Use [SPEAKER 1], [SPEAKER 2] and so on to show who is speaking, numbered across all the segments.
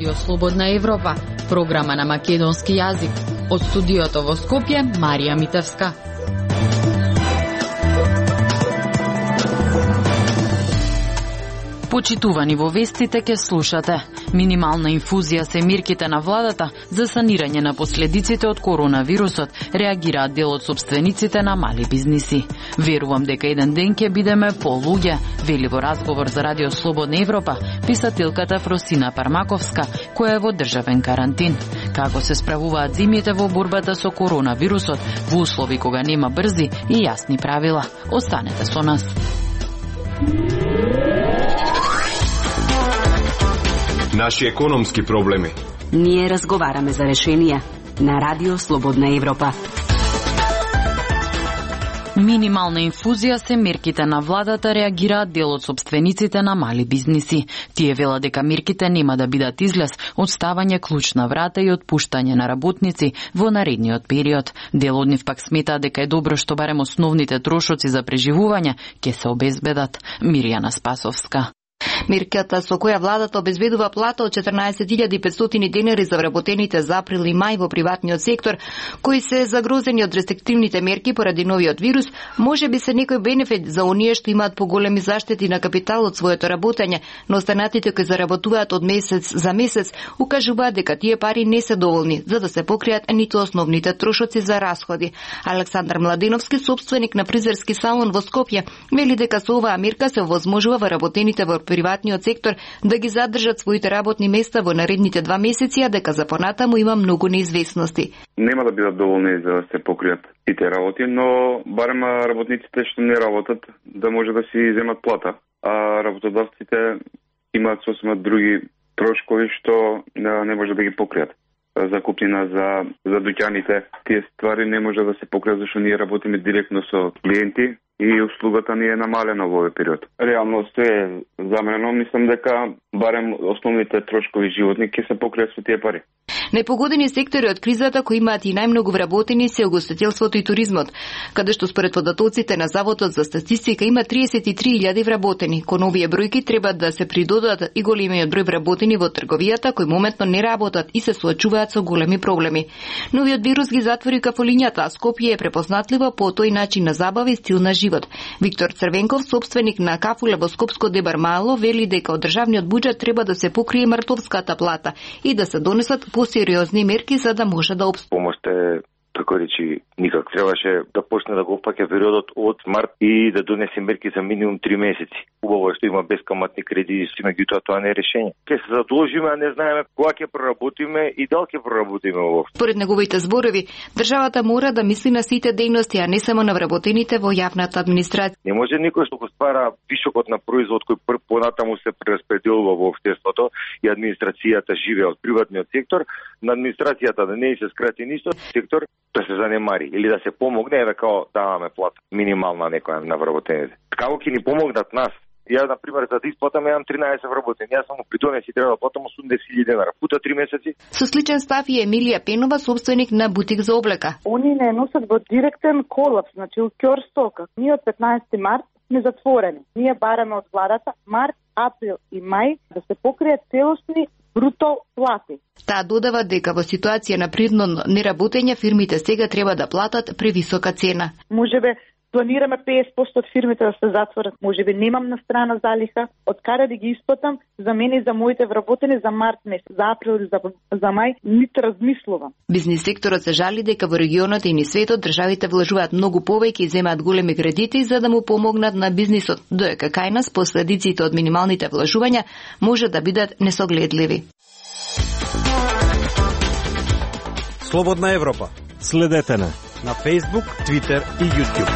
[SPEAKER 1] Радио Слободна Европа, програма на македонски јазик. Од студиото во Скопје, Марија Митевска. Почитувани во вестите ке слушате. Минимална инфузија се мерките на владата за санирање на последиците од коронавирусот, реагираат дел од сопствениците на мали бизниси. Верувам дека еден ден ќе бидеме полуѓе, вели во разговор за Радио Слободна Европа писателката Фросина Пармаковска, која е во државен карантин. Како се справуваат зимите во борбата со коронавирусот во услови кога нема брзи и јасни правила. Останете со нас.
[SPEAKER 2] Наши економски проблеми.
[SPEAKER 3] Ние разговараме за решенија на Радио Слободна Европа.
[SPEAKER 1] Минимална инфузија се мерките на владата, реагираат дел од сопствениците на мали бизниси. Тие велат дека мерките нема да бидат излез од ставање клуч на врата и отпуштање на работници во наредниот период. Дел од нив пак сметаат дека е добро што барем основните трошоци за преживување ќе се обезбедат. Мирјана Спасовска.
[SPEAKER 4] Мерката со која владата обезбедува плата од 14.500 денари за вработените за април и мај во приватниот сектор, кои се загрозени од рестриктивните мерки поради новиот вирус, може би се некој бенефит за оние што имаат поголеми заштети на капитал од своето работење, но останатите кои заработуваат од месец за месец укажуваат дека тие пари не се доволни за да се покријат ниту основните трошоци за расходи. Александар Младеновски, собственик на фризерски салон во Скопје, вели дека со оваа мерка се овозможува вработените во приватниот сектор да ги задржат своите работни места во наредните 2 месеци, а дека за понатаму има многу неизвестности.
[SPEAKER 5] Нема да бидат доволни за да се покријат сите работи, но барем работниците што не работат да може да си земат плата, а работодавците имаат сосема други трошкови што не може да ги покријат. Закупнина за дуќаните, тие ствари не може да се покријат зашто ние работиме директно со клиенти и услугата ни е намалена во овој период. Реално е заменено, мислам дека барем основните трошкови животни ќе се покријат со тие пари.
[SPEAKER 4] Најпогодени сектори од кризата кои имаат и најмногу вработени се угостителството и туризмот, каде што според податоците на Заводот за статистика има 33.000 вработени. Кон овие бројки треба да се придодат и големиот број вработени во трговијата кои моментно не работат и се соочуваат со големи проблеми. Новиот вирус ги затвори кафолињата, а Скопје е препознатливо по тој начин на забава и стил на живот. Виктор Црвенков, собственик на кафуле во Скопско Дебар Мало, вели дека од државниот буџет треба да се покрие мртовската плата и да се донесат посериозни мерки за да може да обстои.
[SPEAKER 6] Помошта е, така речи, никак. Требаше да почне да го опаќа периодот од март и да донесе мерки за минимум 3 месеци. Убаво е што има бескаматни кредити, меѓутоа тоа не е решение. Ке се задолжиме, а не знаеме кога ќе проработиме и дали ќе проработиме воопшто.
[SPEAKER 4] Според неговите зборови, државата мора да мисли на сите дејности, а не само на вработените во јавната администрација.
[SPEAKER 6] Не може никој што го ствара вишокот на производ кој понатаму се прераспределува во општеството и администрацијата живее од приватниот сектор, на администрацијата да не се скрати ништо, сектор да се занемари или да се помогне, да као даваме плата минимална некоја на вработените. Како ќе ни помогнат нас? Ја, например, за да исплатам имам 13 вработени. Јас само придонес и треба да платам 80.000 денара. Пута 3 месеци.
[SPEAKER 4] Со сличен став и Емилија Пенова, собственик на бутик за облека.
[SPEAKER 7] Они не носат во директен колапс, значи у ќорстока. Ние од 15 март сме затворени. Ние бараме од владата март, април и мај да се покријат целосни бруто плати.
[SPEAKER 4] Таа додава дека во ситуација на принудно неработење фирмите сега треба да платат превисока цена.
[SPEAKER 7] Можебе планираме 50% од фирмите да се затворат. Можеби немам на страна залиха, од каде да ги исплатам за мене и за моите вработени за март месец, за април и за мај, ниту размислувам.
[SPEAKER 4] Бизнис секторот се жали дека во регионот и низ светот државите вложуваат многу повеќе и земаат големи кредити за да му помогнат на бизнисот, додека кај нас последиците од минималните вложувања може да бидат несогледливи.
[SPEAKER 8] Слободна Европа. Следете на Facebook, Twitter и YouTube.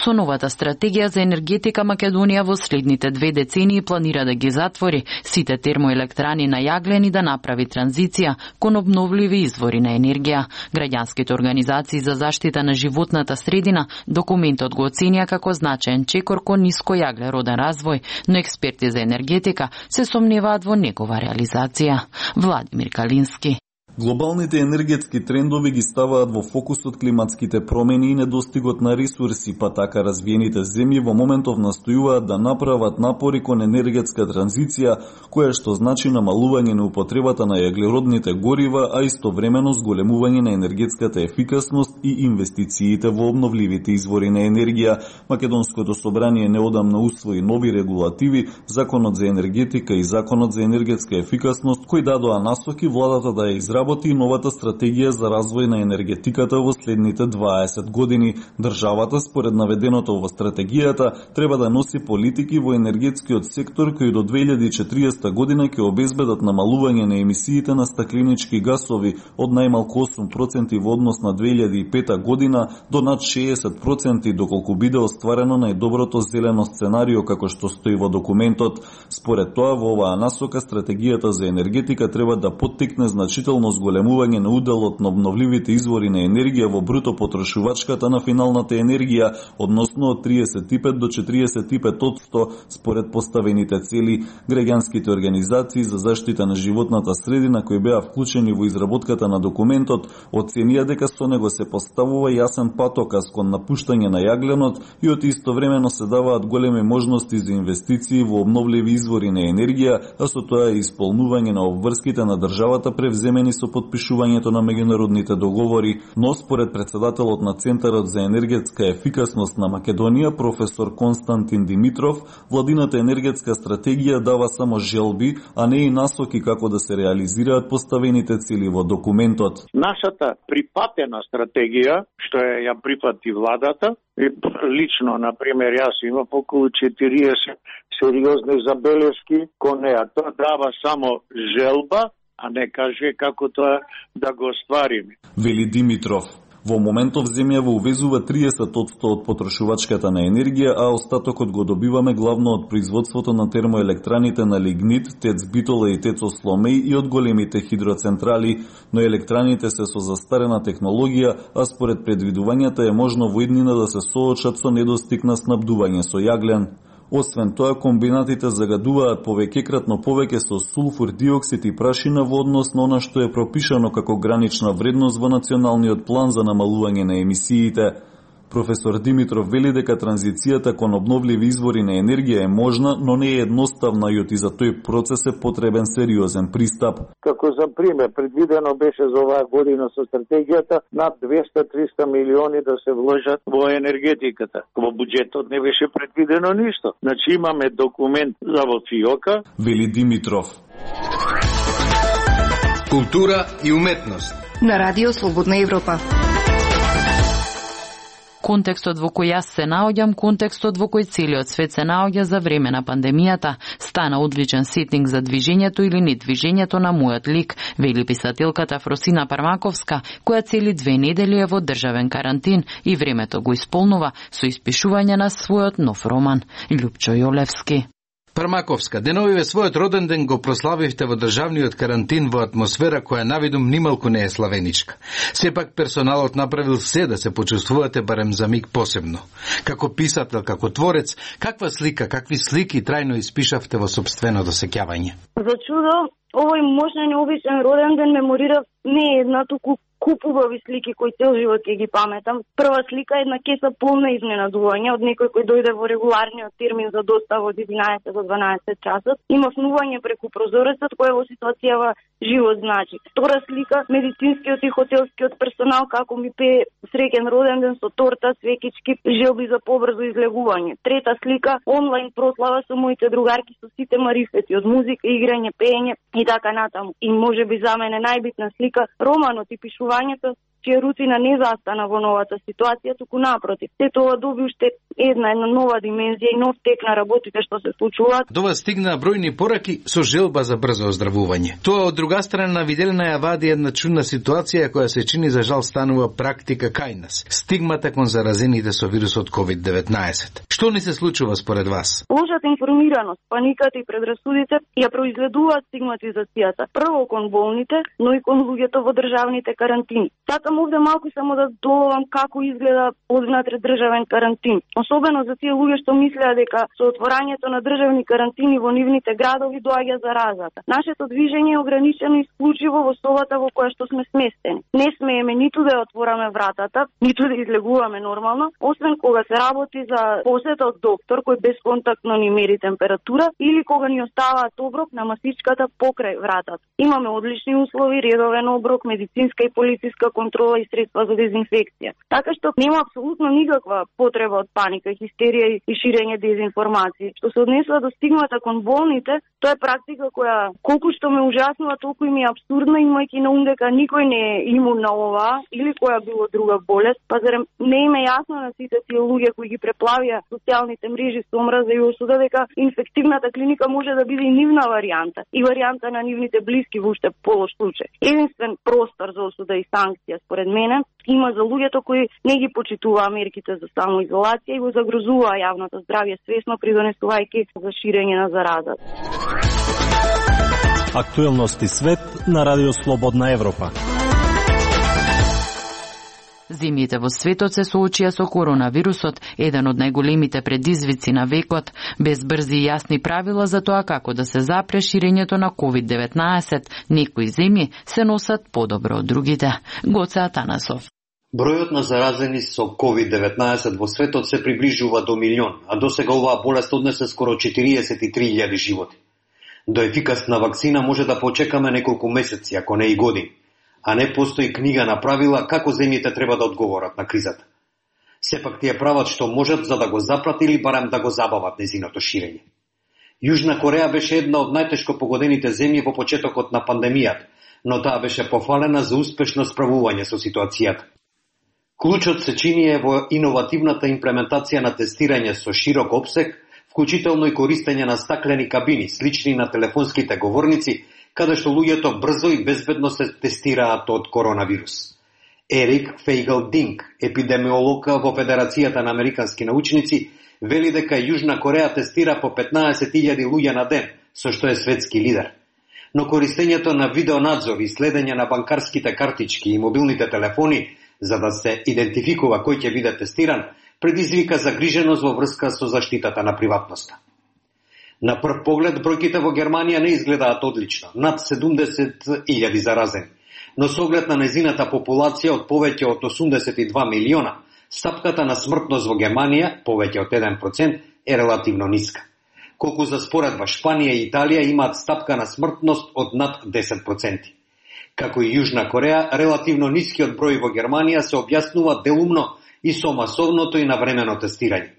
[SPEAKER 1] Со новата стратегија за енергетика Македонија во следните 2 децении планира да ги затвори сите термоелектрани на јаглен и да направи транзиција кон обновливи извори на енергија. Граѓанските организации за заштита на животната средина документот го оценија како значаен чекор кон нискојаглероден развој, но експерти за енергетика се сомневаат во негова реализација. Владимир Калински.
[SPEAKER 9] Глобалните енергетски трендови ги ставаат во фокусот климатските промени и недостигот на ресурси, па така развиените земји во моментов настојуваат да направат напори кон енергетска транзиција, која што значи намалување на употребата на јаглеродните горива, а истовремено зголемување на енергетската ефикасност и инвестициите во обновливите извори на енергија. Македонското собрание неодамна усвои нови регулативи, Законот за енергетика и Законот за енергетска ефикасност, кои дадоа насоки владата да ја изработи новата стратегија за развој на енергетиката во следните 20 години. Државата, според наведеното во стратегијата, треба да носи политики во енергетскиот сектор кои до 2040 година ќе обезбедат намалување на емисиите на стакленички гасови од најмалку 8% во однос на 2005 година до над 60% доколку биде остварено најдоброто зелено сценарио како што стои во документот. Според тоа, во оваа насока стратегијата за енергетика треба да поттикне значително зголемување на уделот на обновливите извори на енергија во бруто потрошувачката на финалната енергија, односно од 35 до 45% според поставените цели. Граѓанските организации за заштита на животната средина кои беа вклучени во изработката на документот оценија дека со него се поставува јасен патоказ кон напуштање на јагленот и од истовремено се даваат големи можности за инвестиции во обновливи извори на енергија, а со тоа и исполнување на обврските на државата превземени со подпишувањето на меѓународните договори. Но според председателот на Центарот за енергетска ефикасност на Македонија, професор Константин Димитров, владината енергетска стратегија дава само желби, а не и насоки како да се реализираат поставените цели во документот.
[SPEAKER 10] Нашата припатена стратегија, што ја припати владата, лично, например, јас имам околу 40 сериозни забелешки кон неа. Тоа дава само желба, а не каже како тоа да го оствариме.
[SPEAKER 9] Вели Димитров. Во моментов земјава увезува 30% од потрошувачката на енергија, а остатокот го добиваме главно од производството на термоелектраните на лигнит, ТЕЦ Битола и ТЕЦ Осломеј и од големите хидроцентрали, но електраните се со застарена технологија, а според предвидувањата е можно во иднина да се соочат со недостиг на снабдување со јаглен. Освен тоа, комбинатите загадуваат повеќекратно повеќе со сулфур диоксид и прашина во однос на она што е пропишано како гранична вредност во националниот план за намалување на емисиите. Професор Димитров вели дека транзицијата кон обновливи извори на енергија е можна, но не е едноставна и за тој процес е потребен сериозен пристап.
[SPEAKER 10] Како за пример, предвидено беше за оваа година со стратегијата над 200-300 милиони да се вложат во енергетиката. Во буџетот не беше предвидено ништо. Значи имаме документ за во ФИОКа.
[SPEAKER 9] Вели Димитров.
[SPEAKER 2] Култура и уметност.
[SPEAKER 4] На Радио Слободна Европа.
[SPEAKER 1] Контекстот во кој јас се наоѓам, контекстот во кој целиот свет се наоѓа за време на пандемијата, стана одличен сетинг за движењето или недвижењето на мојот лик, вели писателката Фросина Пармаковска, која цели 2 недели е во државен карантин и времето го исполнува со испишување на својот нов роман. Љупчо Јолевски.
[SPEAKER 11] Пармаковска, деновиве својот роден ден го прославивте во државниот карантин во атмосфера која навидум нималку не е славеничка. Сепак персоналот направил се да се почувствувате барем за миг посебно. Како писател, како творец, каква слика, какви слики трајно испишавте во сопственото сеќавање?
[SPEAKER 12] За чудо, овој можна необичен роден ден меморирав не една, туку куп убави слики кои цел живот ќе ги паметам. Прва слика е една кеса полна изненадување од некој кој дојде во регуларниот термин за достава од 11 до 12 часот. Има внување преку прозорецот кој во ситуацијава живот значи. Втора слика, медицинскиот и хотелскиот персонал како ми пее среќен роден ден со торта, свекички, желби за побрзо излегување. Трета слика, онлайн прослава со моите другарки со сите марифети од музика, играње, пеење и така натаму. И можеби за мене најбитна слика, романот и пишувањето, чија рутина не застана во новата ситуација, туку напротив. Се тоа доби уште една нова димензија и нов тек на работите што се случуваат.
[SPEAKER 11] До вас стигнаа бројни пораки со желба за брзо оздравување. Тоа од друга страна виделена ја вади една чудна ситуација која се чини за жал станува практика кај нас. Стигмата кон заразените со вирусот COVID-19. Што ни се случува според вас?
[SPEAKER 12] Лошата информираност, паниката и предрасудите ја произведуваат стигматизацијата. Прво кон болните, но и кон луѓето во државните карантини. Сакам Сакам овде малку само да доловам како изгледа одвнатре државен карантин. Особено за тие луѓе што мислеа дека со отворањето на државни карантини во нивните градови доаѓа заразата. Нашето движење е ограничено исклучиво во собата во која што сме сместени. Не смееме ниту да ја отвораме вратата, ниту да излегуваме нормално, освен кога се работи за посета од доктор кој безконтактно ни мери температура или кога ни оставаат оброк на масичката покрај вратата. Имаме одлични услови, редовен оброк, медицинска и полициска контрола и средства за дезинфекција. Така што нема апсолутно никаква потреба од паника, хистерија и ширење дезинформации. Што се однесува до стигмата кон болните, тоа е практика која колку што ме ужаснува, толку и ми е абсурдна, имајќи на ум дека никој не е имун на ова или која било друга болест, па зарем не им е јасно на сите тие луѓе кои ги преплавија социјалните мрежи со омраза и осуда дека инфективната клиника може да биде и нивна варијанта и варијанта на нивните блиски во уште полош случај. Единствен простор за осуда и санкција според мене има за луѓето кои не ги почитуваа мерките за самоизолација и го загрозуваа јавното здравје свесно придонесувајќи за ширење на заразата.
[SPEAKER 8] Актуелности свет на Радио Слободна Европа.
[SPEAKER 1] Земјите во светот се соочија со коронавирусот, еден од најголемите предизвици на векот, без брзи и јасни правила за тоа како да се запре ширењето на COVID-19. Некои земји се носат подобро од другите. Гоце Атанасов.
[SPEAKER 13] Бројот на заразени со COVID-19 во светот се приближува до милион, а досега оваа болест однесе скоро 43.000 животи. До ефикасна вакцина може да почекаме неколку месеци, ако не и години, а не постои книга на правила како земјите треба да одговорат на кризата. Сепак тие прават што можат за да го запрат или барем да го забават незиното ширење. Јужна Кореја беше една од најтешко погодените земји во почетокот на пандемијата, но таа беше пофалена за успешно справување со ситуацијата. Клучот се чини во иновативната имплементација на тестирање со широк опсег, вклучително и користење на стаклени кабини, слични на телефонските говорници, каде што луѓето брзо и безбедно се тестираат од коронавирус. Ерик Фейгел Динк, епидемиолог во Федерацијата на американски научници, вели дека Јужна Кореја тестира по 15.000 луѓе на ден, со што е светски лидер. Но користењето на видеонадзор и следење на банкарските картички и мобилните телефони за да се идентификува кој ќе биде тестиран, предизвика загриженост во врска со заштитата на приватноста. На прв поглед, бројките во Германија не изгледаат одлично, над 70.000 заразени, но со оглед на незината популација од повеќе од 82 милиона, стапката на смртност во Германија, повеќе од 1%, е релативно ниска. Колку за споредба Шпанија и Италија имаат стапка на смртност од над 10%. Како и Јужна Кореја, релативно нискиот број во Германија се објаснува делумно и со масовното и навремено тестирање.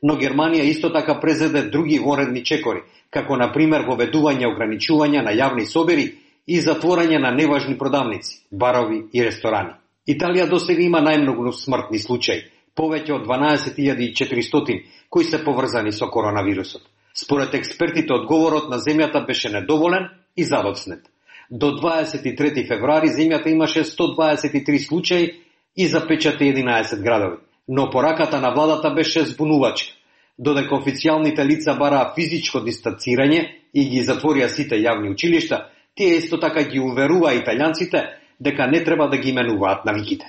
[SPEAKER 13] Но Германија исто така презеде други воредни чекори, како на пример воведување ограничувања на јавни собери и затворање на неважни продавници, барови и ресторани. Италија досега има најмногу смртни случаи, повеќе од 12.400 кои се поврзани со коронавирусот. Според експертите, одговорот на земјата беше недоволен и задоцнет. До 23 февруари земјата имаше 123 случаи и запечати 11 градови. Но пораката на владата беше збунувачка. Додека официјалните лица бараа физичко дистанцирање и ги затворија сите јавни училишта, тие исто така ги уверуваа италијанците дека не треба да ги именуваат навиките.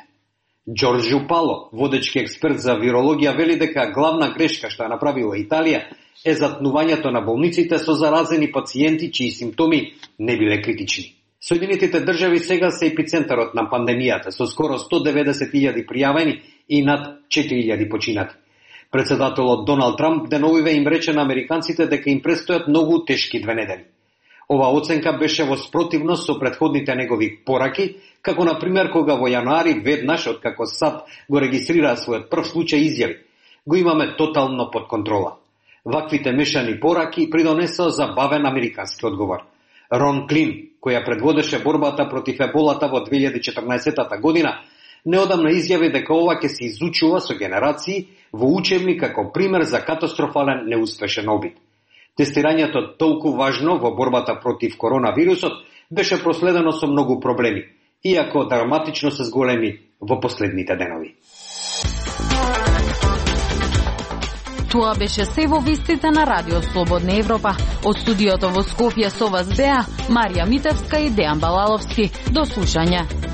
[SPEAKER 13] Џорџу Пало, водечки експерт за вирологија, вели дека главна грешка што ја направила Италија е затнувањето на болниците со заразени пациенти чии симптоми не биле критични. Соединетите држави сега се епицентарот на пандемијата со скоро 190.000 пријавени и над 4.000 починати. Председателот Доналд Трамп деновиве им рече на американците дека им престојат многу тешки 2 недели. Ова оценка беше во спротивност со претходните негови пораки, како на пример кога во јануари веднаш откако САД го регистрираа својот прв случај изјави: го имаме тотално под контрола. Ваквите мешани пораки придонесоа за бавен американски одговор. Рон Клин, која предводеше борбата против еболата во 2014 година, неодамна изјави дека ова ќе се изучува со генерации во учебник како пример за катастрофален неуспешен обид. Тестирањето толку важно во борбата против коронавирусот беше проследено со многу проблеми, иако драматично се зголеми во последните денови.
[SPEAKER 1] Тоа беше се во вестите на Радио Слободна Европа. Од студиото во Скопје со вас беа Марија Митевска и Дејан Балаловски. До слушање.